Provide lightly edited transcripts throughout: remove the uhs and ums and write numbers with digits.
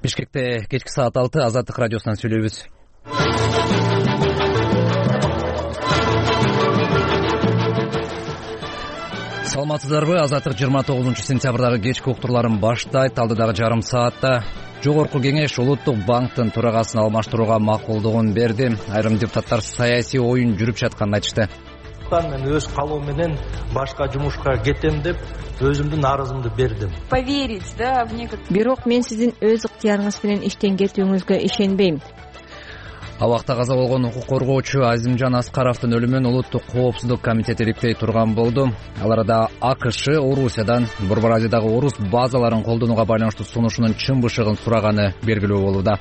Бишкекте кечки саат 6 Азаттык радиосунан сүйлөйбүз. Саламатсыздарбы? Азаттык 29-сентябрдагы кечки уктурларын баштайт. Алдыдагы жарым саатта Жогорку кеңеш Улуттук банктын төрагасын алмаштырууга макулдугун берди. Айрым депутаттар саясий оюн жүрүп жатканын айтышты. Мен өз калоом менен башка жумушка кетем деп өзүмдүн арызымды бердим. Поверить, да, в некоторые. Бирок мен сиздин өз ыктыярыңыз менен иштен кетүүңүзгө ишенбейм. Абакта каза болгон укук коргоочу Азимжан Аскаровдун өлүмүн Улуттук коопсуздук комитети ириктей турган болду. Ал арада АКШ Орусиядан Борбор Азиядагы орус базаларын колдонууга байланыштуу сунушунун чын бышыгын сураганы белгилүү болууда.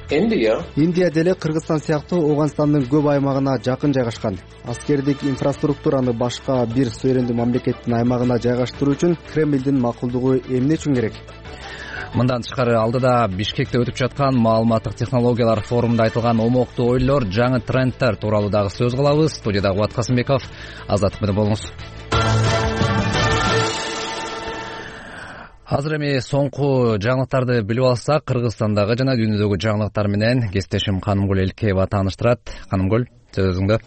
Индия деле Кыргызстан сыяктуу Ооганстандын көп аймагына жакын жайгашкан. Аскердик инфраструктураны башка бир суверендүү мамлекеттин аймагына жайгаштыруу үчүн Кремлдин макулдугу эмне үчүн керек? Мындан тышкары алдыда Бишкекте өтүп жаткан маалыматтык технологиялар форумунда айтылган омоктуу ойлор, жаңы тренддер тууралуу дагы сөз кылабыз. Студияда Кубат Касымбеков. Азаттык менен болуңуз. Азыр эми соңку жаңылыктарды билип алсак, Кыргызстандагы жана дүйнөдөгү жаңылыктар менен кесиптешим Канымгүл Элкеева тааныштырат. Канымгүл, сөз өзүңдө.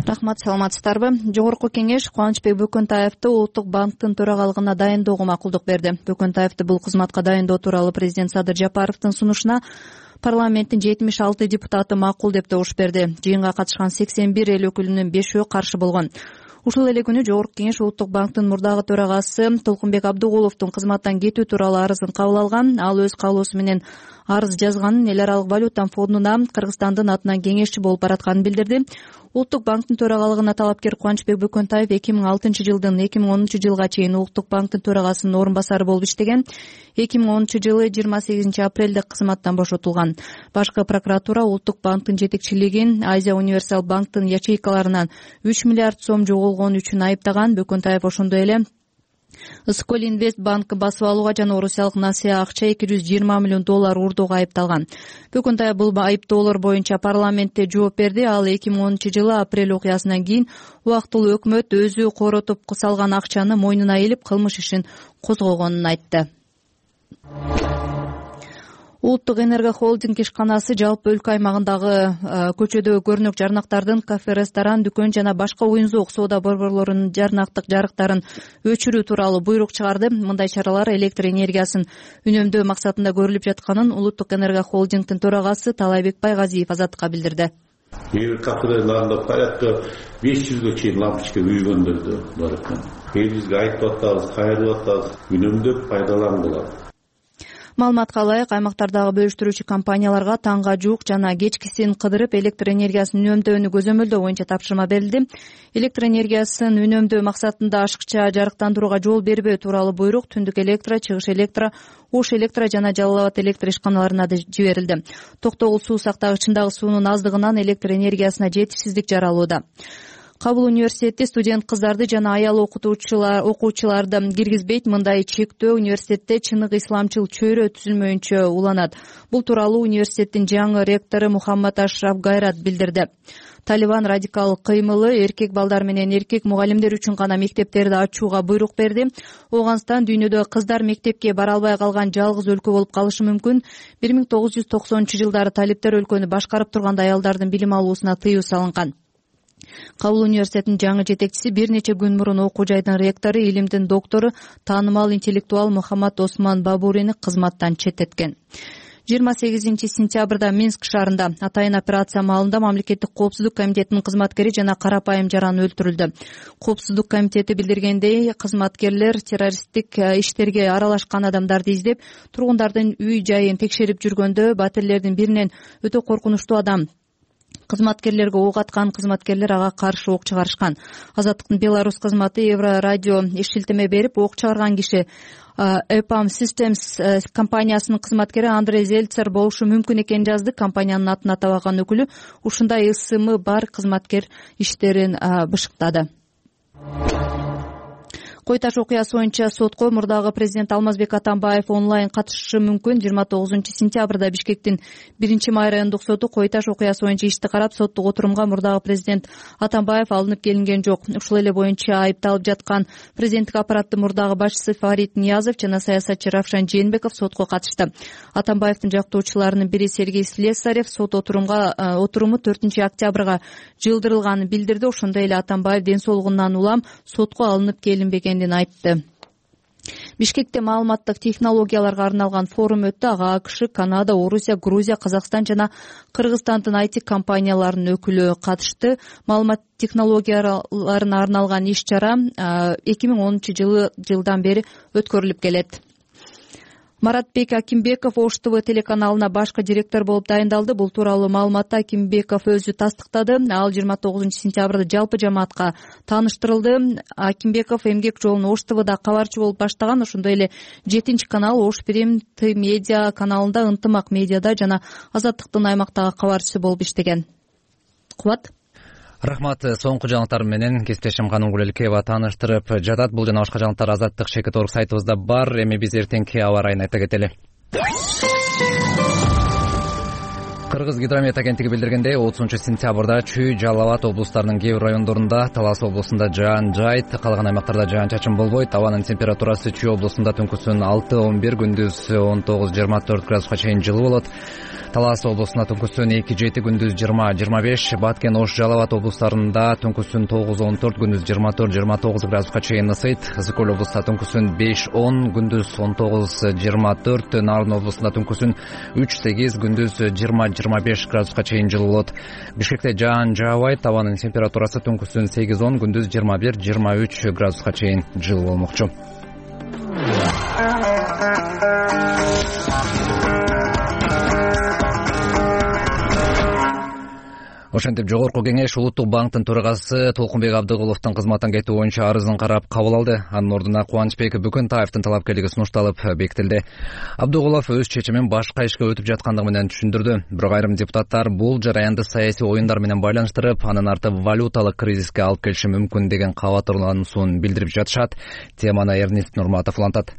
Рахмат, саламатсыздарбы? Жогорку кеңеш Кубанычбек Бөкөнтаевди Улуттук банктын төрагалыгына дайындоого макулдук берди. Бөкөнтаевди бул кызматка дайындоо тууралуу президент Садыр Жапаровдун сунушуна парламенттин 76 депутаты макул деп добуш берди. Жыйынга катышкан 81 эл өкүлүнүн 5-өө каршы болгон. Ушул эле күнү Жогорку кеңеш Улуттук банктын мурдагы төрагасы Толкунбек Абдыгуловдун кызматтан кетүү тууралуу арызын кабыл алган. Ал өз каалоосу менен арыз жазганын, эл аралык валюта фондуна Кыргызстандын атынан кеңешчи болуп баратканын билдирди. Улуттук банктын төрагалыгына талапкер Кубанычбек Бөкөнтаев 2006-жылдан 2010-жылга чейин Улуттук банктын төрагасынын орун басары болуп иштеген. 2010-жылы 28 апрелде кызматтан бошотулган. Башкы прокуратура Улуттук банктын жетекчилигин Азия Универсал банктын ячейкаларынан 3 миллиард сом жоголгон үчүн айыптаган. Бөкөнтаев ошондой эле Скол Инвест банкы басып алууга жана орусиялык Насия акча $220 миллион урдоого айыпталган. Бөкөнтаев бул айыптоолор боюнча парламентте жооп берди. Ал 2010-жылы апрель окуясынан кийин убактылуу өкмөт өзү коротуп салган акчаны мойнуна илип кылмыш ишин козгогонун айтты. Улуттук энерго холдинг ишканасы жалпы өлкө аймагындагы көчөдөгү көрүнөк жарнактардын кафе, ресторан, дүкөн жана башка оюн-зоок соода борборлорунун жарнактык жарыктарын өчүрүү тууралуу буйрук чыгарды. Мындай чаралар электр энергиясын үнөмдөө максатында көрүлүп жатканын Улуттук энерго холдингдин төрагасы Талайбек Байгазиев Азаттыкка билдирди. Бир кафелерде порядка 500ге чейин лампочка үйгөндөрдү бар экен. Бизге айтып атабыз, кайрылып атабыз, үнөмдөп пайдалангыла. Маалыматка ылайык, аймактардагы бөлүштүрүүчү компанияларга таңга жуук жана кечкисин кыдырып электр энергиясын үнөмдөөнү көзөмөлдөө боюнча тапшырма берилди. Электр энергиясын үнөмдөө максатында ашыкча жарыктандырууга жол бербөө тууралуу буйрук Түндүк электро, Чыгыш электро, Ош электро жана Жалал Абад электр ишканаларына да жиберилди. Токтогул суу сактагычындагы суунун аздыгынан электр энергиясына жетишсиздик жаралууда. Кабыл университети студент кыздарды жана аял окуучуларды киргизбейт. Мындай чектөө университетте чыныгы исламчыл чөйрө түзүлмөйүнчө уланат. Бул тууралуу университеттин жаңы ректору Мухаммад Ашраф Гайрат билдирди. Талибан радикал кыймылы эркек балдар менен эркек мугалимдер үчүн гана мектептерди ачууга буйрук берди. Ооганстан дүйнөдө кыздар мектепке бара албай калган жалгыз өлкө болуп калышы мүмкүн. 1990-жылдары талиптер өлкөнү башкарып турганда аялдардын билим алуусуна тыюу салынган. Кабыл университетинин жаңы жетекчиси бир нече күн мурун окуу жайдын ректору, илимдин доктору, таанымал интеллектуал Мухаммад Осман Бабурини кызматтан четтеткен. 28 сентябрда Минск шаарында атайын операция маалында мамлекеттик коопсуздук комитетинин кызматкери жана карапайым жаран өлтүрүлдү. Коопсуздук комитети билдиргендей, кызматкерлер террористтик иштерге аралашкан адамдарды издеп, тургундардын үй жайын текшерип жүргөндө батирлердин биринен өтө коркунучтуу адам кызматкерлерге ок аткан. Кызматкерлер ага каршы ок чыгарышкан. Азаттыктын Беларусь кызматы Евро радио шилтеме берип, ок чыгарган киши EPAM Systems компаниясынын кызматкери Андрей Зельцер болушу мүмкүн экенин жазды. Компаниянын атын атабаган өкүлү ушундай ысымы бар кызматкер иштерин бышыктады. Кой Таш окуясы боюнча сотко мурдагы президент Алмазбек Атамбаев онлайн катышышы мүмкүн. 29-сентябрда Бишкектин 1-май райондук соту Кой Таш окуясы боюнча ишти карап, соттук отурумга мурдагы президент Атамбаев алынып келинген жок. Ушул эле боюнча айыпталып жаткан президенттик аппараттын мурдагы башчысы Фарид Ниязов жана саясатчы Равшан Жээнбеков сотко катышты. Атамбаевдин жактоочуларынын бири Сергей Слесарев сот отуруму 4-октябрга жылдырылганын билдирди. Ошондой эле Атамбаев ден соолугунан улам сотко алынып келинбегенин айтты. Бишкекте маалыматтык технологияларга арналган форум өттү. Ага АКШ, Канада, Орусия, Грузия, Казакстан жана Кыргызстандын IT компанияларынын өкүлү катышты. Маалымат технологияларына арналган иш-чара 2010-жылдан бери өткөрүлүп келет. Маратбек Акимбеков Ош ТВ телеканалына башкы директор болуп дайындалды. Бул тууралуу маалыматты Акимбеков өзү тастыктады. Ал 29-сентябрда жалпы жамаатка тааныштырылды. Акимбеков эмгек жолун Ош ТВда кабарчы болуп баштаган. Ошондой эле 7-канал Ош Прим Т медиа каналында, Ынтымак медиада жана Азаттыктын аймактагы кабарчысы болуп иштеген. Кубат. Рахмат. Соңку жаңылыктар менен кесиптешим Каным Гулелкеева тааныштырып жатат. Бул жана башка жаңылыктар Азаттык Шекет.орг сайтыбызда бар. Эми биз эртеңки аба ырайын айта кетели. Кыргыз гидромет агенттиги билдиргендей, 30-сентябрда Чүй, Жалал Абад облустарынын кээ бир райондорунда, Талас облусунда жаан жайт, калган аймактарда жаан-чачын болбойт. Абанын температурасы Чүй облусунда түнкүсүн 6-11, күндүз 19-24 градуска чейин жылуу болот. Талас облусунда түнкүсүн 2-7, күндүз 20-25, Баткен, Ош, Жалал Абад облустарында түнкүсүн 9-14, күндүз 24-29 градуска чейин ысыйт. Ысык Көл облусунда түнкүсүн 5-10, күндүз 19-24, Нарын облусунда түнкүсүн 3-8, күндүз 20-25 градуска чейин жылуу болот. Бишкекте жаан жаабайт, абанын температурасы түнкүсүн 8-10, күндүз 21-23 градуска чейин жылуу болмокчу. Ошентип Жогорку кеңеш Улуттук банктын төрагасы Толкунбек Абдыгуловдун кызматтан кетүү боюнча арызын карап кабыл алды. Анын ордуна Кубанычбек Бүкөнтаевдин талапкерлиги сунушталып бекитилди. Абдыгулов өз чечимин башка ишке өтүп жаткандыгы менен түшүндүрдү. Бирок айрым депутаттар бул жараянды саясий оюндар менен байланыштырып, анын арты валюталык кризиске алып келиши мүмкүн деген кабатырлануусун билдирип жатышат. Теманы Эрнист Нурматов улантат.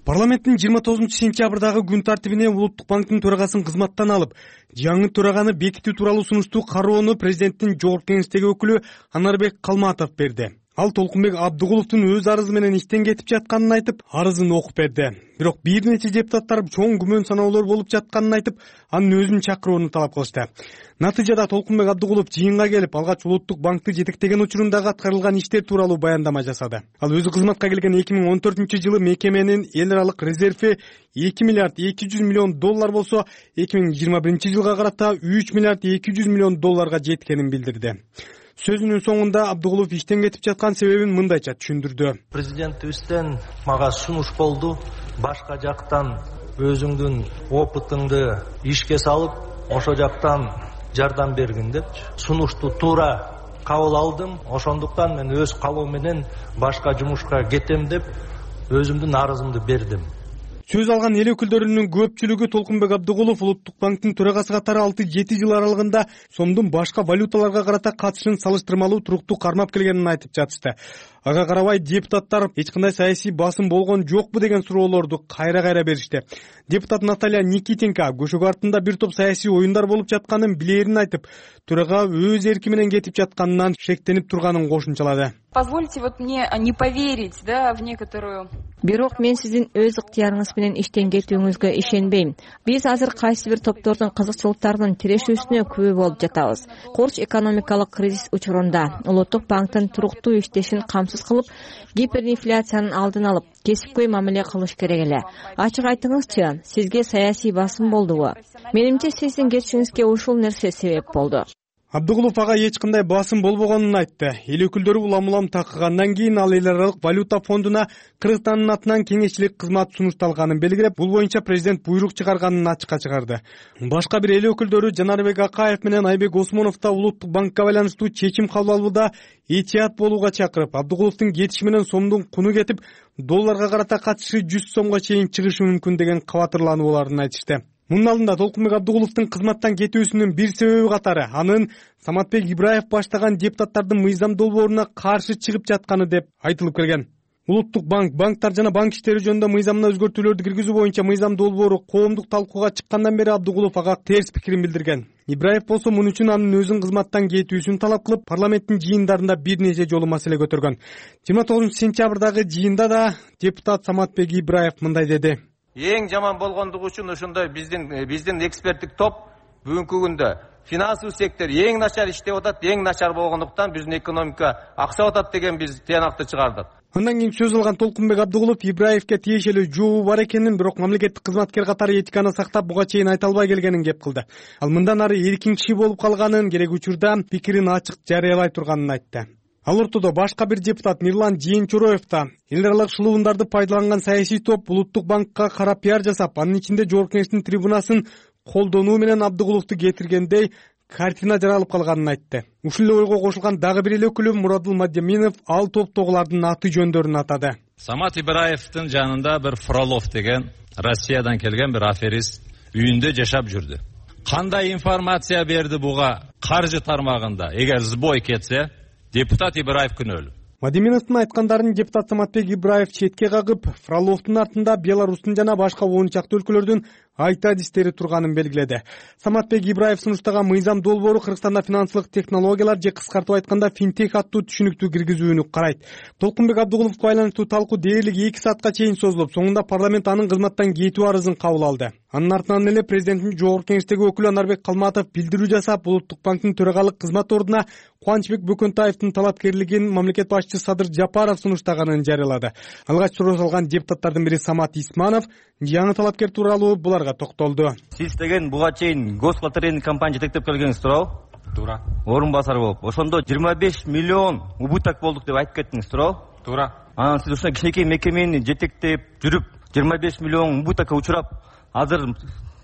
Парламенттин 29-сентябрдагы күн тартибине Улуттук банктын төрагасын кызматтан алып, жаңы төраганы бекитүү тууралуу сунуштуу кароону президенттин жогорку кеңештеги өкүлү Анарбек Калматов берди. Ал Толкунбек Абдыгуловдун өз арызы менен иштен кетип жатканын айтып, арызын окуп берди. Бирок бир нече депутаттар чоң күмөн саноолор болуп жатканын айтып, анын өзүн чакырууну талап кылышты. Натыйжада Толкунбек Абдыгулов жыйынга келип, алгач Улуттук банкты жетектеген учурундагы аткарылган иштер тууралуу баяндама жасады. Ал өзү кызматка келген 2014-жылы мекеменин эл аралык резерви 2 миллиард 200 миллион доллар болсо, 2021-жылга карата 3 миллиард 200 миллион долларга жеткенин билдирди. Сөзүнүн соңунда Абдыгулов иштен кетип жаткан себебин мындайча түшүндүрдү. Президентибизден мага сунуш болду. Башка жактан өзүңдүн опытыңды ишке салып, ошо жактан жардам бергин деп сунушту туура кабыл алдым. Ошондуктан мен өз калоом менен башка жумушка кетем деп өзүмдүн арызымды бердим. Сөз алган эл өкүлдөрүнүн көпчүлүгү Толкунбек Абдыгулов Улуттук банктын төрагасы катары 6-7 жыл аралыгында сомдун башка валюталарга карата катышын салыштырмалуу туруктуу кармап келгенин айтып жатышты. Ага карабай депутаттар эч кандай саясий басым болгон жокпу деген суроолорду кайра беришти. Депутат Наталья Никитенко көшөгө артында бир топ саясий оюндар болуп жатканын билерин айтып, төрага өз эрки менен кетип жатканынан шектенип турганын кошумчалады. Позвольте мне не поверить, в некоторую. Бирок мен сиздин өз ыктыярыңыз менен иштен кетүүңүзгө ишенбейм. Биз азыр кайсы бир топтордун кызыкчылыктарынын тирешүүсүнө күбө болуп жатабыз. Корч экономикалык кризис учурунда Улуттук банктын туруктуу иштешин камсыз кылып, гиперинфляциянын алдын алып, кесипкөй мамиле кылыш керек эле. Ачык айтыңызчы, сизге саясий басым болдубу? Менимче сиздин кетишиңизге ушул нерсе себеп болду. Абдыгулов ага эч кандай басым болбогонун айтты. Эл өкүлдөрү улам такыгандан кийин ал эл аралык валюта фондуна Кыргызстандын атынан кеңешчилик кызмат сунушталганын белгилеп, бул боюнча президент буйрук чыгарганын ачыкка чыгарды. Башка бир эл өкүлдөрү Жанарбек Акаев менен Айбек Осмонов да Улуттук банкка байланыштуу чечим кабыл алууда этият болууга чакырып, Абдыгуловдун кетиши менен сомдун куну кетип, долларга карата катышы 100 сомго чейин чыгышы мүмкүн деген кабатырланууларын айтышты. Мунун алдында Толкунбек Абдыгуловдун кызматтан кетүүсүнүн бир себеби катары анын Саматбек Ибраев баштаган депутаттардын мыйзам долбооруна каршы чыгып жатканы деп айтылып келген. Улуттук банктар жана банк иштери жөнүндө мыйзамына өзгөртүүлөрдү киргизүү боюнча мыйзам долбоору коомдук талкууга чыккандан бери Абдыгулов ага терс пикирин билдирген. Ибраев болсо муну үчүн анын өзүн кызматтан кетүүсүн талап кылып, парламенттин жыйындарында бир нече жолу маселе көтөргөн. 29-сентябрдагы жыйында да депутат Саматбек Ибраев мындай деди. Эң жаман болгондугу үчүн ошондой биздин эксперттик топ бүгүнкү күндө финансылык сектор эң начар иштеп атат, эң начар болгондуктан биздин экономика аксап атат деген биз тыянакты чыгардык. Андан кийин сөз алган Толкунбек Абдыгулов Ибраевке тиешелүү жообу бар экенин, бирок мамлекеттик кызматкер катары этиканы сактап буга чейин айта албай келгенин кеп кылды. Ал мындан ары эркин киши болуп калганын, керек учурда пикирин ачык жарыялай турганын айтты. Ал ортодо башка бир депутат Мирлан Жээнчуроев да эл аралык шылуундарды пайдаланган саясий топ Улуттук банкка кара пиар жасап, анын ичинде Жогорку Кеңештин трибунасын колдонуу менен Абдыгуловду кетиргендей картина жаралып калганын айтты. Ушул эле ойго кошулган дагы бир эле өкүлү Мурадул Мадеминов ал топтогулардын аты жөндөрүн атады. Самат Ибраевдин жанында бир Фролов деген Россиядан келген бир аферист үйүндө жашап жүрдү. Кандай информация берди буга каржы тармагында? Эгер сбой кетсе, депутат Ибраев күнөөлүү. Мадеминовдун айткандарын депутат Саматбек Ибраев четке кагып, Фроловдун артында Беларустун жана башка 10 чакты өлкөлөрдүн айта адистери турганын белгиледи. Саматбек Ибраев сунуштаган мыйзам долбоору Кыргызстанда финансылык технологиялар же кыскартып айтканда финтех аттуу түшүнүктү киргизүүнү карайт. Толкунбек Абдыгуловго байланыштуу талкуу дээрлик 2 саатка чейин созулуп, соңунда парламент анын кызматтан кетүү арызын кабыл алды. Анын артынан эле президенттин Жогорку Кеңештеги өкүлү Анарбек Калматов билдирүү жасап, Улуттук банктын төрагалык кызмат ордуна Кубанычбек Бөкөнтаевдин талапкерлигин мамлекет башчысы Садыр Жапаров сунуштаганын жарыялады. Алгач суроо салган депутаттардын бири Самат Исманов жаңы талапкер тууралуу буларга токтолду. Сиз деген буга чейин гослотерейный компания жетектеп келгениңиз туурабы? Туура. Орун басары болуп, ошондо 25 миллион убыток болдук деп айтып кеттиңиз, туурабы? Туура. Анан сиз ушундай кичинекей мекемени жетектеп жүрүп 25 миллион убытокко учурап, азыр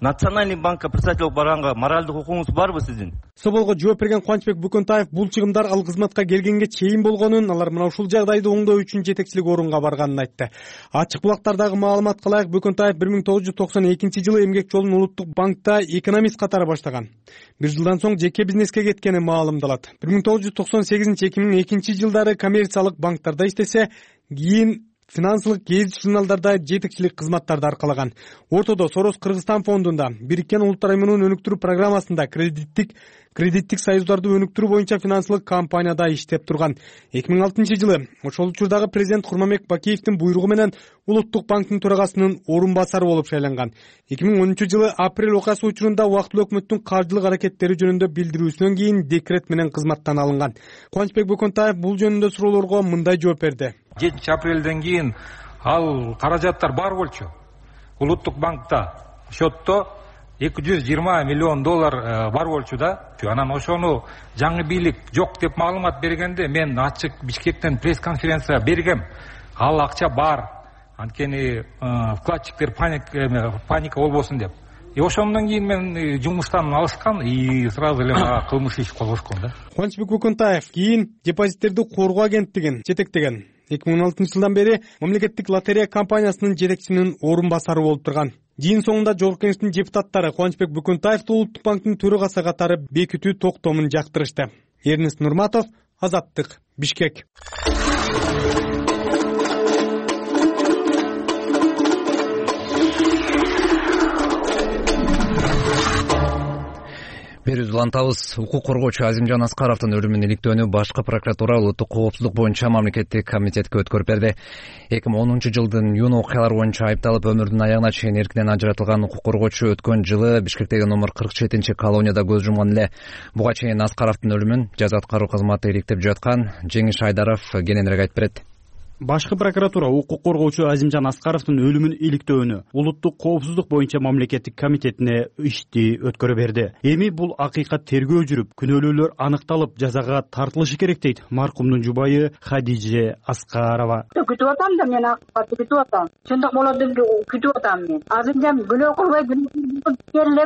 Национальный банкка председатель болуп барганга моральдык укугуңуз барбы сиздин? Соболго жооп берген Кубанычбек Бөкөнтаев бул чыгымдар ал кызматка келгенге чейин болгонун, алар мына ушул жагдайды оңдоо үчүн жетекчилик орунга барганын айтты. Ачык булактардагы маалыматка ылайык, Бөкөнтаев 1992-жылы эмгек жолун Улуттук банкта экономист катары баштаган. Бир жылдан соң жеке бизнеске кеткени маалымдалат. 1998-2002-жылдары коммерциялык банктарда иштесе, кийин финансылык гезит журналдарда жетекчилик кызматтарды аркалаган. Ортодо Сорос Кыргызстан фондунда, Бириккен Улуттар Уюмунун өнүктүрүү программасында кредиттик союздарды өнүктүрүү боюнча финансылык компанияда иштеп турган. 2006-жылы ошол учурдагы президент Курманбек Бакиевдин буйругу менен Улуттук банктын төрагасынын орун басары болуп шайланган. 2010-жылы апрель окуясы учурунда убактылуу өкмөттүн каржылык аракеттери жөнүндө билдирүүсүнөн кийин декрет менен кызматтан алынган. Кубанычбек Бөкөнтаев бул жөнүндө суроолорго мындай жооп берди. 7-апрелден кийин ал каражаттар бар болчу. Улуттук банкта счетто 220 миллион доллар бар болчу да. Анан ошону жаңы бийлик жок деп маалымат бергенде мен ачык Бишкектен пресс-конференция бергем. Ал акча бар. Анткени вкладчиктер паника болбосун деп. Ошондон кийин мен жумуштан алышкан и сразу эле мага кылмыш иш козгошкон да. Кубанычбек Бөкөнтаев кийин депозиттерди коргоо агенттигин жетектеген. 2016-жылдан бери мамлекеттик лотерея компаниясынын жетекчисинин орун басары болуп турган. Жыйын соңунда Жогорку Кеңештин депутаттары Кубанычбек Бөкөнтаевди Улуттук банктын төрагасы катары бекитүү токтомун жактырышты. Эрнест Нурматов, Азаттык, Бишкек. Берүүбүздү улантабыз. Укук коргоочу Азимжан Аскаровдун өлүмүнүн иликтөөнү башкы прокуратура улуттук коопсуздук боюнча мамлекеттик комитетке өткөрүп берди. 2010-жылдын июнь окуялары боюнча айыпталып өмүрүнүн аягына чейин эркинен ажыратылган укук коргоочу өткөн жылы Бишкектеги номер 47-колонияда көз жумган эле. Буга чейин Аскаровдун өлүмүн жаза аткаруу кызматы иликтеп жаткан. Жеңиш Айдаров кененирээк айтып берет. Башкы прокуратура укук коргоочу Азимжан Аскаровдун өлүмүн иликтөөнү улуттук коопсуздук боюнча мамлекеттик комитетине ишти өткөрө берди. Эми бул акыйкат тергөө жүрүп, күнөөлүүлөр аныкталып, жазага тартылышы керек дейт маркумдун жубайы Хадиже Аскарова. Күтүп атам да, мен акыйкатты күтүп атам. Чындык болот деп күтүп атам мен. Азимжан күнөө кылбай келип,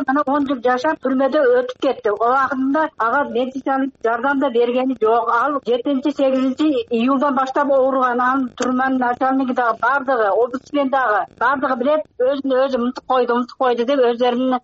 анан 10 жыл жашап түрмөдө өтүп кетти. Ал убагында ага медициналык жардам да бергени жок. Ал 7-8-июлдан баштап ооруган. Турман начальниги дагы бардыгы, областьмен дагы бардыгы билет, өзүн өзү мынтык койду деп өздөрүнүн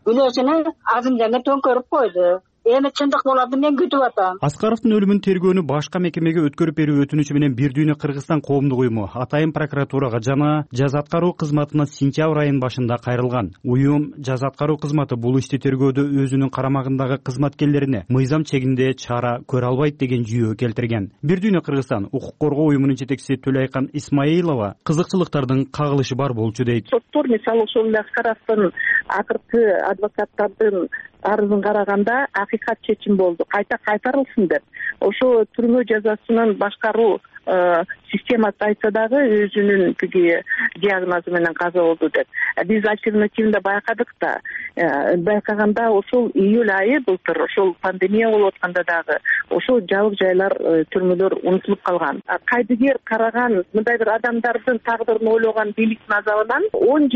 күнөөсүнү Азимжанга төңкөрүп койду. эми чындык болот мен күтүп атам. Аскаровдун өлүмүн тергөөнү башка мекемеге өткөрүп берүү өтүнүчү менен Бир дүйнө Кыргызстан коомдук уюму Атайын прокуратурага жана жаза аткаруу кызматына сентябрь айынын башында кайрылган. Уюм жаза аткаруу кызматы бул ишти тергөөдө өзүнүн карамагындагы кызматкерлерине мыйзам чегинде чара көрө албайт деген жүйө келтирген. Бир дүйнө Кыргызстан укук коргоо уюмунун жетекчиси Төлөйкан Исмаилова кызыкчылыктардын кагылышы бар болчу дейт. Соттор мисалы ошол эле Аскаровдун акыркы адвокаттардын арызын караганда акыйкат чечим болду. Кайта кайтарылсын деп. Ошо түрмө жазасынын башкаруу системасы айтса дагы өзүнүн тиги диагнозу менен каза болду деп. Биз альтернативында байкаганда ошол июль айы былтыр ошол пандемия болуп атканда дагы ошол жабык жайлар, түрмөлөр унутулуп калган. Кайдыгер караган мындай бир адамдардын тагдырын ойлогон бийликтин азабынан 10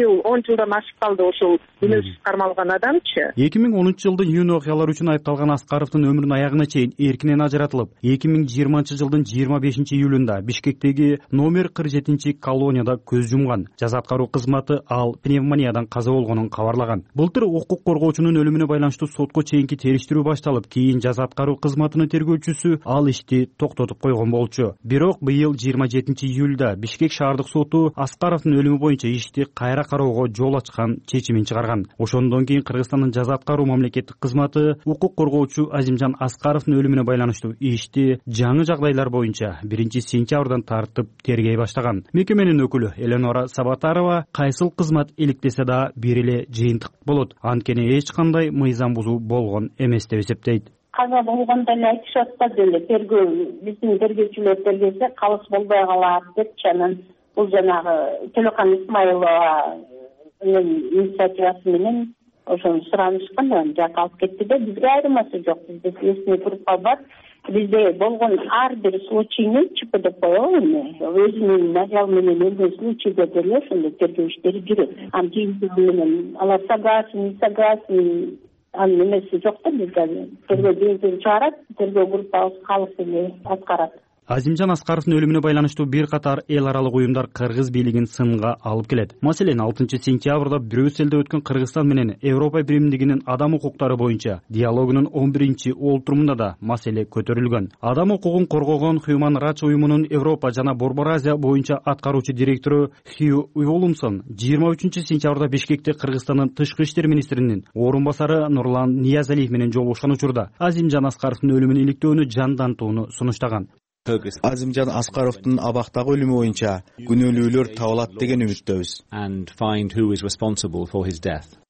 жылдан ашып калды ошол күнөөсүз кармалган адамчы. 2010 жылдын июнь окуялары үчүн айыпталган Аскаровдун өмүрүнүн аягына чейин эркинен ажыратылып, 2020 жылдын 25 июлунда Бишкектеги номер 47 колонияда көз жумган. Жаза аткаруу кызматы ал пневмониядан каза болгонун кабарлаган. Былтыр укук коргоочунун өлүмүнө байланыштуу сотко чейинки териштирүү башталып, кийин жаза аткаруу кызматынын тергөөчүсү ал ишти токтотуп койгон болчу. Бирок быйыл 27 июлда Бишкек шаардык соту Аскаровдун өлүмү боюнча ишти кайра кароого жол ачкан чечимин чыгарган. Ошондон кийин Кыргызстандын жаза аткаруу мамлекеттик кызматы укук коргоочу Азимжан Аскаровдун өлүмүнө байланыштуу ишти жаңы жагдайлар боюнча 1-сентябрдан тартып тергей баштаган. Мекеменин өкүлү Эленора Сабатарова кайсыл кызмат иликтесе да бир эле жыйынтык болот. Анткени эч кандай мыйзам бузуу болгон эмес деп эсептейт. Каза болгондо эле айтышып атпады эле тергөө биздин тергөөчүлөр тергесе калыс болбой калат депчи. Анан бул жанагы Төлөкан Исмаилованын инициативасы менен ошону суранышкан, жакка алып кетти да бизге айырмасы жок. Бизде эсине туруп калбат. Бизде болгон ар бир случайны ЧП деп коелу эми. Өзүнүн материал менен өлгөн случайда деле ошондой тергөө иштери жүрөт. Анан жыйынтыгы менен алар согласен, не согласен, анын эмеси жок да бизде. Тергөө жыйынтыгын чыгарат, тергөө группабыз калыс эле аткарат. Азимжан Аскаровдун өлүмүнө байланыштуу бир катар эл аралык уюмдар Кыргыз бийлигин сынга алып келет. Маселен, 6-сентябрда Брюсселде өткөн Кыргызстан менен Европа биримдигинин адам укуктары боюнча диалогунун 11-олтурумунда да маселе көтөрүлгөн. Адам укугун коргогон Human Rights уюмунун Европа жана Борбор Азия боюнча аткаруучу директору Хью Уолумсон 23-сентябрда Бишкекте Кыргызстандын тышкы иштер министринин орун басары Нурлан Ниязалиев менен жолугушкан учурда Азимжан Аскаровдун өлүмүн иликтөөнү жандантууну сунуштаган. Азимжан Аскаровдун абактагы өлүмү боюнча күнөөлүүлөр табылат деген үмүттөбүз.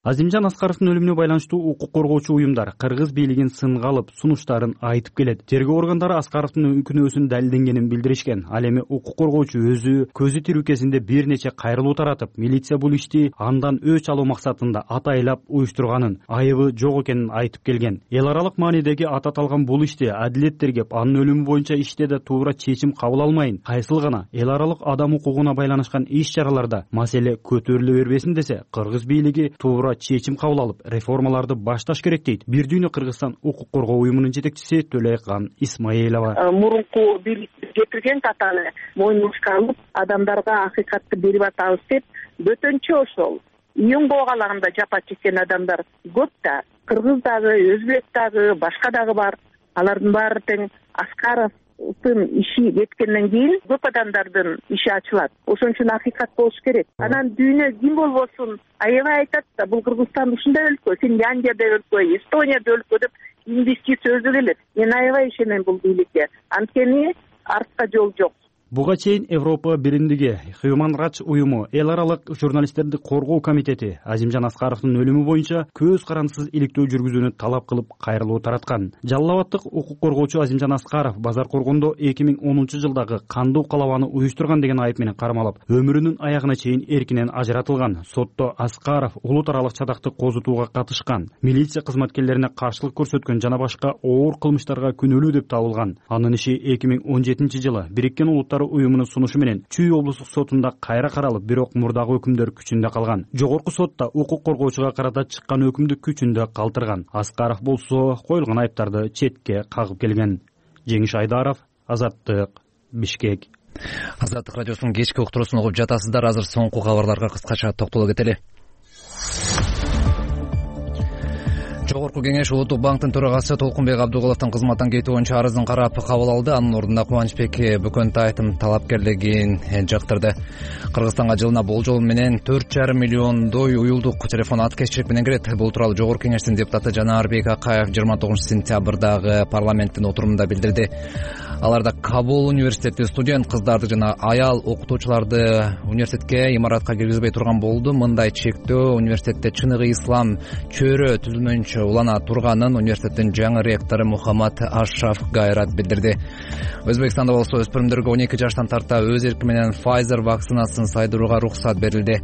Азимжан Аскаровдун өлүмүнө байланыштуу укук коргоочу уюмдар Кыргыз бийлигин сынга алып сунуштарын айтып келет. Тергөө органдары Аскаровдун күнөөсүн далилденгенин билдиришкен. Ал эми укук коргоочу өзү көзү тирүү кезинде бир нече кайрылуу таратып, милиция бул ишти андан өч алуу максатында атайлап уюштурганын, айыбы жок экенин айтып келген. Эл аралык маанидеги аты аталган бул ишти Адилет тергеп, анын өлүмү боюнча иште да туура чечим кабыл алмайын, кайсыл гана эл аралык адам укугуна байланышкан иш-чараларда маселе көтөрүлө бербесин десе, Кыргыз бийлиги туура чечим кабыл алып, реформаларды башташ керек дейт Бир дүйнө Кыргызстан укук коргоо уюмунун жетекчиси Төлөйкан Исмаилова. Мурунку бийлик жетирген татаны мойнубузга алып, адамдарга акыйкатты берип атабыз деп, бөтөнчө ошол июнь коогалагында жапа чеккен адамдар көп да. Кыргыз дагы, өзбек дагы, башка дагы бар. Алардын баары тең Аскаровдун иши кеткенден кийин көп адамдардын иши ачылат. Ошон үчүн акыйкат болуш керек. Анан дүйнө ким болбосун аябай айтат да, бул Кыргызстан ушундай өлкө, Финляндияда өлкө, Эстонияда өлкө деп инвестиция өзү келет. Мен аябай ишенем бул бийликке. Анткени артка жол жок. Буга чейин Европа биримдиги, Human Rights уюму, эл аралык журналисттерди коргоо комитети Азимжан Аскаровдун өлүмү боюнча көз карандысыз иликтөө жүргүзүүнү талап кылып кайрылуу тараткан. Жалал Абадтык укук коргоочу Азимжан Аскаров базар коргондо 2010 жылдагы кандуу калабаны уюштурган деген айып менен кармалып, өмүрүнүн аягына чейин эркинен ажыратылган. Сотто Аскаров улут аралык чадакты козутууга катышкан, милиция кызматкерлерине каршылык көрсөткөн жана башка оор кылмыштарга күнөөлүү деп табылган. Анын иши 2017 жылы Бириккен Улуттар уюмунун сунушу менен Чүй облустук сотунда кайра каралып, бирок мурдагы өкүмдөр күчүндө калган. Жогорку сотта укук коргоочуга карата чыккан өкүмдү күчүндө калтырган. Аскаров болсо коюлган айыптарды четке кагып келген. Жеңиш Айдаров, Азаттык, Бишкек. Азаттык радиосунун кечки уктуруусун угуп жатасыздар. Азыр соңку кабарларга кыскача токтоло кетели. Жогорку кеңеш Улуттук банктын төрагасы Толкунбек Абдугуловдун кызматтан кетүү боюнча арызын карап кабыл алды. Анын ордуна Кубанычбек Бөкөнтаевдин талапкерлигин жактырды. Кыргызстанга жылына болжол менен 4,5 миллиондой уюлдук телефон аткезчилик менен кирет. Бул тууралуу Жогорку кеңештин депутаты Жанарбек Акаев 29-сентябрдагы парламенттин отурумунда билдирди. Аларда Кабул университети студент кыздарды жана аял окутуучуларды университетке имаратка киргизбей турган болду. Мындай чектөө университетте чыныгы ислам чөйрө түзүлмөйүнчө улана турганын университеттин жаңы ректору Мухаммад Ашраф Гайрат билдирди. Өзбекстанда болсо өспүрүмдөргө 12 жаштан тарта өз эрки менен Pfizer вакцинасын сайдырууга уруксат берилди.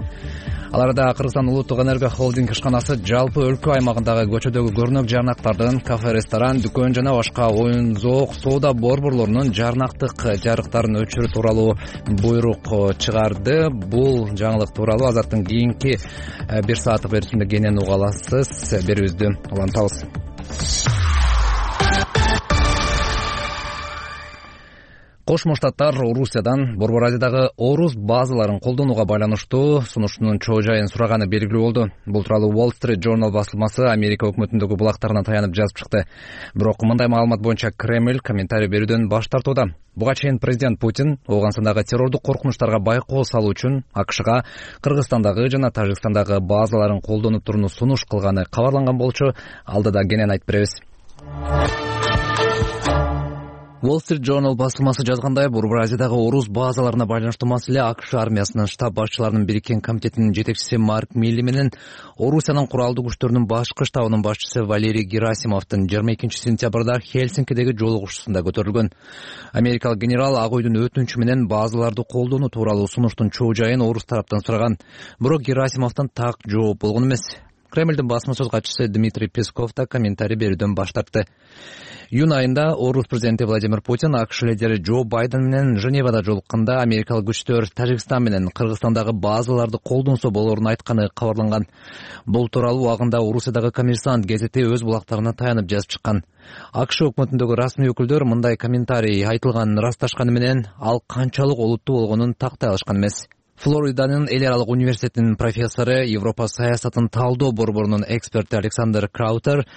Аларда Кыргызстан улуттук энерго холдинг ишканасы жалпы өлкө аймагындагы көчөдөгү көрнөк жарнактардын кафе, ресторан, дүкөн жана башка оюн-зоок, соода борборлорунун жарнактык жарыктарын өчүрүү тууралуу буйрук чыгарды. Бул жаңылык тууралуу Азаттын кийинки 1 сааттык берүүсүндө кенен уга аласыз. Берүүбүздү улантабыз. Кошмо Штаттар Орусиядан Борбор Азиядагы орус базаларын колдонууга байланыштуу сунуштунун чоо жайын сураганы белгилүү болду. Бул тууралуу Wall Street Journal басылмасы Америка өкмөтүндөгү булактарына таянып жазып чыкты. Бирок мындай маалымат боюнча Кремль комментарий берүүдөн баш тартууда. Буга чейин президент Путин Ооганстандагы террордук коркунучтарга байкоо салуу үчүн AQShга Кыргызстандагы жана Тажикстандагы базаларын колдонуп турууну сунуш кылганы кабарланган болчу. Алдыда кенен айтып беребиз. Wall Street Journal басылмасы жазгандай, Борбор Азиядагы орус базаларына байланыштуу маселе AQSh армиясынын штаб башчыларынын бириккен комитетинин жетекчиси Марк Милли менен Орусиянын куралдуу күчтөрүнүн башкы штабынын башчысы Валерий Герасимовдун 22-сентябрда Хельсинкидеги жолугушуусунда көтөрүлгөн. Америкалык генерал Ак Үйдүн өтүнүчү менен базаларды колдонуу тууралуу сунуштун чоо жайын орус тараптан сураган. Бирок Герасимовдон так жооп болгон эмес. Кремлдин басма сөз катчысы Дмитрий Песков да комментарий берүүдөн баш тартты. Июнь айында орус президенти Владимир Путин AQSh лидери Джо Байден менен Женевада жолукканда америкалык күчтөр Тажикстан менен Кыргызстандагы базаларды колдонсо болорун айтканы кабарланган. Бул тууралуу убагында Орусиядагы Коммерсант гезити өз булактарына таянып жазып чыккан. AQSh өкмөтүндөгү расмий өкүлдөр мындай комментарий айтылганын ырасташканы менен ал канчалык олуттуу болгонун тактай алышкан эмес. Флориданын эл аралык университетинин профессору, Европа саясатын талдоо борборунун эксперти Александр Краутер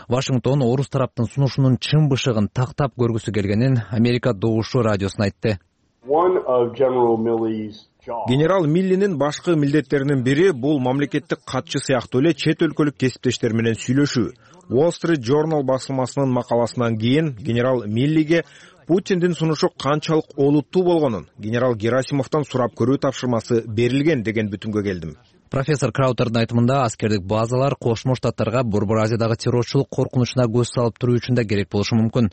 Вашингтон орус тараптын сунушунун чын бышыгын тактап көргүсү келгенин Америка Добушу радиосуна айтты. Генерал Миллинин башкы милдеттеринин бири бул мамлекеттик катчы сыяктуу эле чет өлкөлүк кесиптештер менен сүйлөшүү. Wall Street Journal басылмасынын макаласынан кийин генерал Миллиге Путиндин сунушу канчалык олуттуу болгонун генерал Герасимовдон сурап көрүү тапшырмасы берилген деген бүтүмгө келдим. Профессор Краутердин айтымында аскердик базалар Кошмо Штаттарга Борбор Азиядагы террорчулук коркунучуна көз салып туруу үчүн да керек болушу мүмкүн.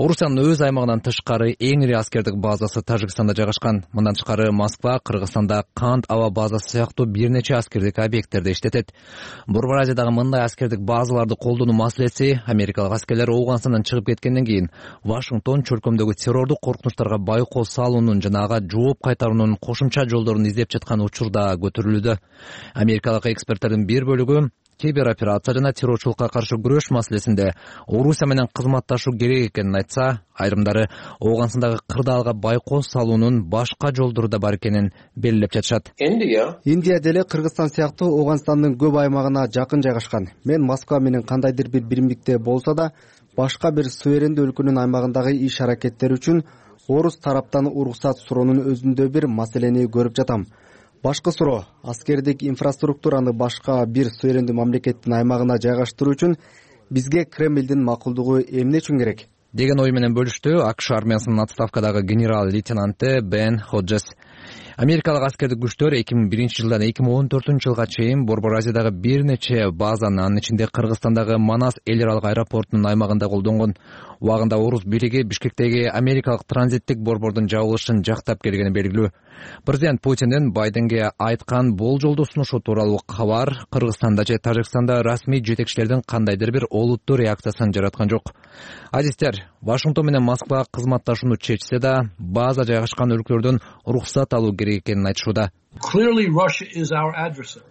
Орусиянын өз аймагынан тышкары эң ири аскердик базасы Тажикстанда жайгашкан. Мындан тышкары Москва Кыргызстанда Кант аба базасы сыяктуу бир нече аскердик объекттерди иштетет. Борбор Азиядагы мындай аскердик базаларды колдонуу маселеси америкалык аскерлер Ооганстандан чыгып кеткенден кийин Вашингтон чөлкөмдөгү террордук коркунучтарга байкоо салуунун жана ага жооп кайтаруунун кошумча жолдорун издеп жаткан учурда көтөрүлүүдө. Америкалык эксперттердин бир бөлүгү кибероперация жана террорчулукка каршы күрөш маселесинде Орусия менен кызматташуу керек экенин айтса, айрымдары Ооганстандагы кырдаалга байкоо салуунун башка жолдору да бар экенин белгилеп жатышат. Индия деле Кыргызстан сыяктуу Ооганстандын көп аймагына жакын жайгашкан. Мен Москва менен кандайдыр бир биримдикте болсо да, башка бир суверендүү өлкөнүн аймагындагы иш-аракеттер үчүн орус тараптан уруксат суроонун өзүндө бир маселени көрүп жатам. Башкы суроо аскердик инфраструктураны башка бир суверендүү мамлекеттин аймагына жайгаштыруу үчүн бизге Кремлдин макулдугу эмне үчүн керек? Деген ой менен бөлүштү AQSh армиясынын отставкадагы генерал-лейтенанты Бен Ходжес. Америкалык аскердик күчтөр 2001 жылдан 2014 жылга чейин Борбор Азиядагы бир нече базаны, анын ичинде Кыргызстандагы Манас эл аралык аэропортунун аймагында колдонгон. Убагында орус бийлиги Бишкектеги америкалык транзиттик борбордун жабылышын жактап келгени белгилүү. Президент Путиндин Байденге айткан болжолдуу сунушу тууралуу кабар Кыргызстанда же Тажикстанда расмий жетекчилердин кандайдыр бир олуттуу реакциясын жараткан жок. Азиздер, Вашингтон менен Москва кызматташууну чечсе да, база жайгашкан өлкөлөрдөн уруксат алуу керек экенин айтышууда.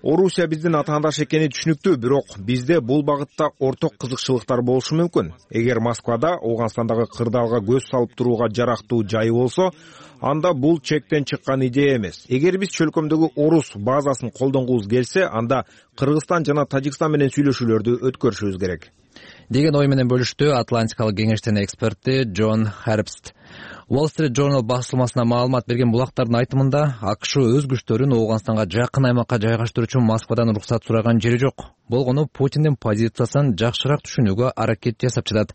Орусия биздин атаандаш экени түшүнүктүү, бирок бизде бул багытта орток кызыкчылыктар болушу мүмкүн. Эгер Москвада Ооганстандагы кырдаалга көз салып турууга жарактуу жайы болсо, анда бул чектен чыккан идея эмес. Эгер биз чөлкөмдөгү орус базасын колдонгубуз келсе, анда Кыргызстан жана Тажикстан менен сүйлөшүүлөрдү өткөрүшүбүз керек деген ой менен бөлүштү Атлантикалык кеңештин эксперти Джон Харпст. Wall Street Journal басылмасына маалымат берген булактардын айтымында АКШ өз күчтөрүн Ооганстанга жакын аймакка жайгаштыруу үчүн Москвадан уруксат сураган жери жок. Болгону Путиндин позициясын жакшыраак түшүнүүгө аракет жасап жатат.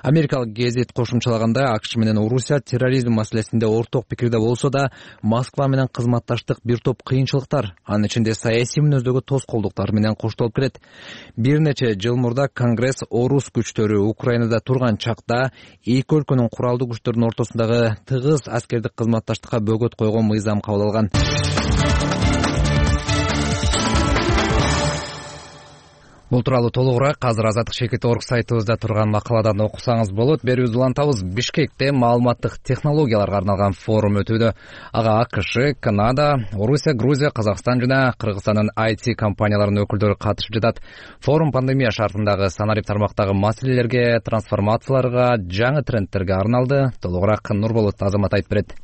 Америкалык гезит кошумчалаганда АКШ менен Орусия терроризм маселесинде орток пикирде болсо да, Москва менен кызматташтык бир топ кыйынчылыктар, анын ичинде саясий мүнөздөгү тоскоолдуктар менен коштолуп келет. Бир нече жыл мурда Конгресс орус күчтөрү Украинада турган чакта эки өлкөнүн куралдуу күчтөрүнүн ортосундагы тыгыз аскердик кызматташтыкка бөгөт койгон мыйзам кабыл алган. Бул тууралуу толугураак азыр Азаттык Шекет.org сайтыбызда турган макаладан окусаңыз болот. Берүүбүздү улантабыз. Бишкекте маалыматтык технологияларга арналган форум өтүүдө. Ага АКШ, Канада, Орусия, Грузия, Казакстан жана Кыргызстандын IT компанияларынын өкүлдөрү катышып жатат. Форум пандемия шартындагы санарип тармактагы маселелерге, трансформацияларга, жаңы трендтерге арналды. Толугураак Нурболот Азамат айтып берет.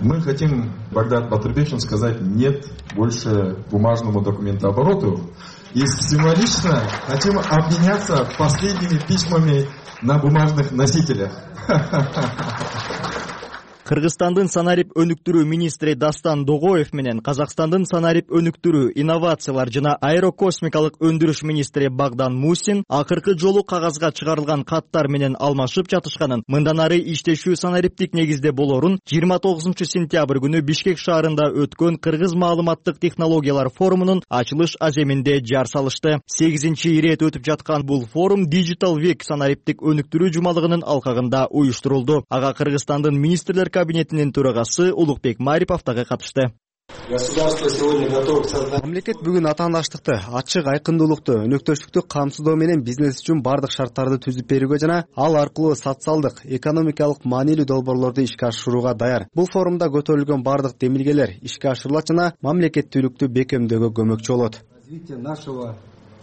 Мы хотим, Багдад Батырбекович, сказать нет больше бумажному документообороту. И символично хотим обменяться последними письмами на бумажных носителях. Кыргызстандын санарип өнүктүрүү министри Дастан Догоев менен Казакстандын санарип өнүктүрүү, инновациялар жана аэрокосмикалык өндүрүш министри Багдан Мусин акыркы жолу кагазга чыгарылган каттар менен алмашып жатышканын, мындан ары иштешүү санариптик негизде болорун 29 сентябрь күнү Бишкек шаарында өткөн Кыргыз маалыматтык технологиялар форумунун ачылыш аземинде жар салышты. 8-ирет өтүп жаткан бул форум Digital Week санариптик өнүктүрүү жумалыгынын алкагында уюштурулду. Ага Кыргызстандын министрлер кабинетинин төрагасы Улукбек Марипов дагы катышты. Мамлекет бүгүн атаандаштыкты, ачык айкындуулукту, өнөктөштүктү камсыздоо менен бизнес үчүн бардык шарттарды түзүп берүүгө жана ал аркылуу социалдык, экономикалык маанилүү долбоорлорду ишке ашырууга даяр. Бул форумда көтөрүлгөн бардык демилгелер ишке ашырылат жана мамлекеттүүлүктү бекемдөөгө көмөкчү болот. Развитие нашего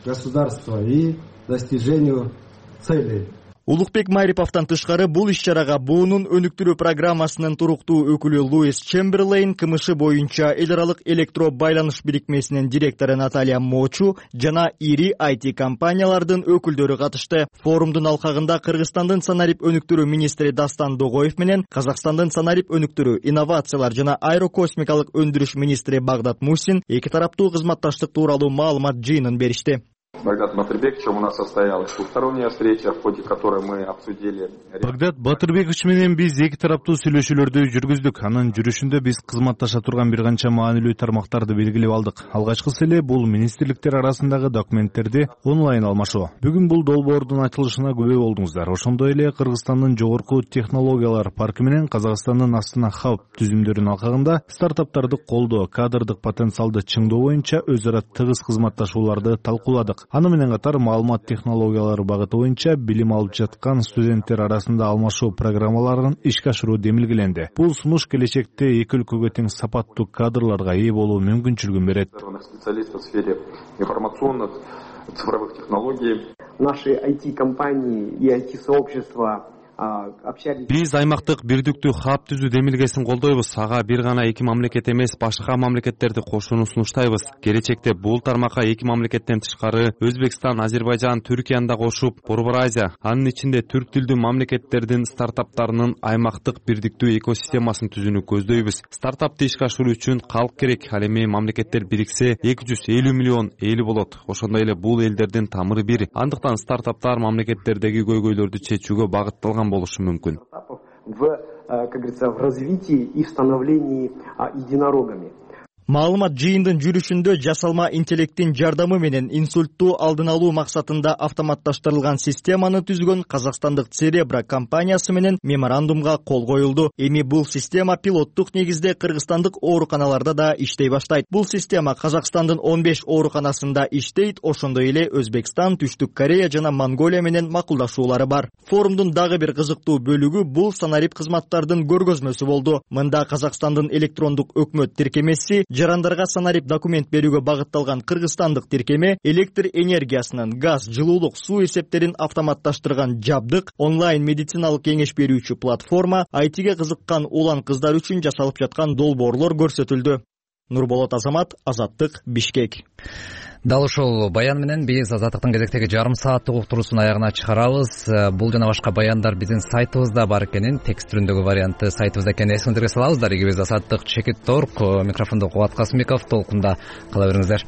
государства и достижению целей. Улукбек Мариповдон тышкары бул иш-чарага буунун өнүктүрүү программасынын туруктуу өкүлү Луис Чемберлейн, КМШ боюнча эл аралык электро байланыш бирикмесинин директору Наталья Мочу жана ири IT компаниялардын өкүлдөрү катышты. Форумдун алкагында Кыргызстандын санарип өнүктүрүү министри Дастан Догоев менен Казакстандын санарип өнүктүрүү, инновациялар жана аэрокосмикалык өндүрүш министри Багдат Мусин эки тараптуу кызматташтык тууралуу маалымат жыйынын беришти. Багдад Батырбековичем у нас состоялась двусторонняя встреча, в ходе которой мы обсудили. Багдад Батырбекович менен биз эки тараптуу сүйлөшүүлөрдү жүргүздүк. Анын жүрүшүндө биз кызматташа турган бир канча маанилүү тармактарды белгилеп алдык. Алгачкысы эле бул министрликтер арасындагы документтерди онлайн алмашуу. Бүгүн бул долбоордун ачылышына күбө болдуңуздар. Ошондой эле Кыргызстандын жогорку технологиялар паркы менен Казакстандын Астана Хаб түзүмдөрүнүн алкагында стартаптарды колдоо, кадрдык потенциалды чыңдоо боюнча өз ара тыгыз кызматташууларды талкууладык. Аны менен катар маалымат технологиялары багыты боюнча билим алып жаткан студенттер арасында алмашуу программаларын ишке ашыруу демилгеленди. Бул сунуш келечекте эки өлкөгө тең сапаттуу кадрларга ээ болуу мүмкүнчүлүгүн берет. Специалистов в сфере информационных, цифровых технологий. Наши IT-компании и IT-сообщества Биз аймактык бирдиктүү хаб түзүү демилгесин колдойбуз. Ага бир гана эки мамлекет эмес, башка мамлекеттерди кошууну сунуштайбыз. Келечекте бул тармакка эки мамлекеттен тышкары Өзбекстан, Азербайжан, Түркияны да кошуп, Борбор Азия, анын ичинде түрк тилдүү мамлекеттердин стартаптарынын аймактык бирдиктүү экосистемасын түзүүнү көздөйбүз. Стартапты ишке ашыруу үчүн калк керек. Ал эми мамлекеттер бириксе 250 миллион эли болот. Ошондой эле бул элдердин тамыры бир. Андыктан стартаптар мамлекеттердеги көйгөйлөрдү чечүүгө багытталган болушу мүмкүн. Как говорится, в развитии и в становлении единорогами. Маалымат жыйындын жүрүшүндө жасалма интеллекттин жардамы менен инсультту алдын алуу максатында автоматташтырылган системаны түзгөн казакстандык Церебра компаниясы менен меморандумга кол коюлду. Эми бул система пилоттук негизде кыргызстандык ооруканаларда да иштей баштайт. Бул система Казакстандын 15 ооруканасында иштейт, ошондой эле Өзбекстан, Түштүк Корея жана Монголия менен макулдашуулары бар. Форумдун дагы бир кызыктуу бөлүгү бул санарип кызматтардын көргөзмөсү болду. Мында Казакстандын электрондук өкмөт тиркемеси жарандарга санарип документ берүүгө багытталган кыргызстандык тиркеме электр энергиясынын, газ, жылуулук, суу эсептерин автоматташтырган жабдык, онлайн медициналык кеңеш берүүчү платформа, айтиге кызыккан улан кыздар үчүн жасалып жаткан долбоорлор көрсөтүлдү. Нурболот Азамат, Азаттык, Бишкек. Дал ушул баян менен биз Азаттыктын кезектеги жарым сааттык уктуруусун аягына чыгарабыз. Бул жана башка баяндар биздин сайтыбызда бар экенин, текст түрүндөгү варианты сайтыбызда экенин эсиңиздерге салабыздар. Биз Азаттык, Чекит Торк, микрофондо Кубат Касымбеков, толкунда кала бериңиздер.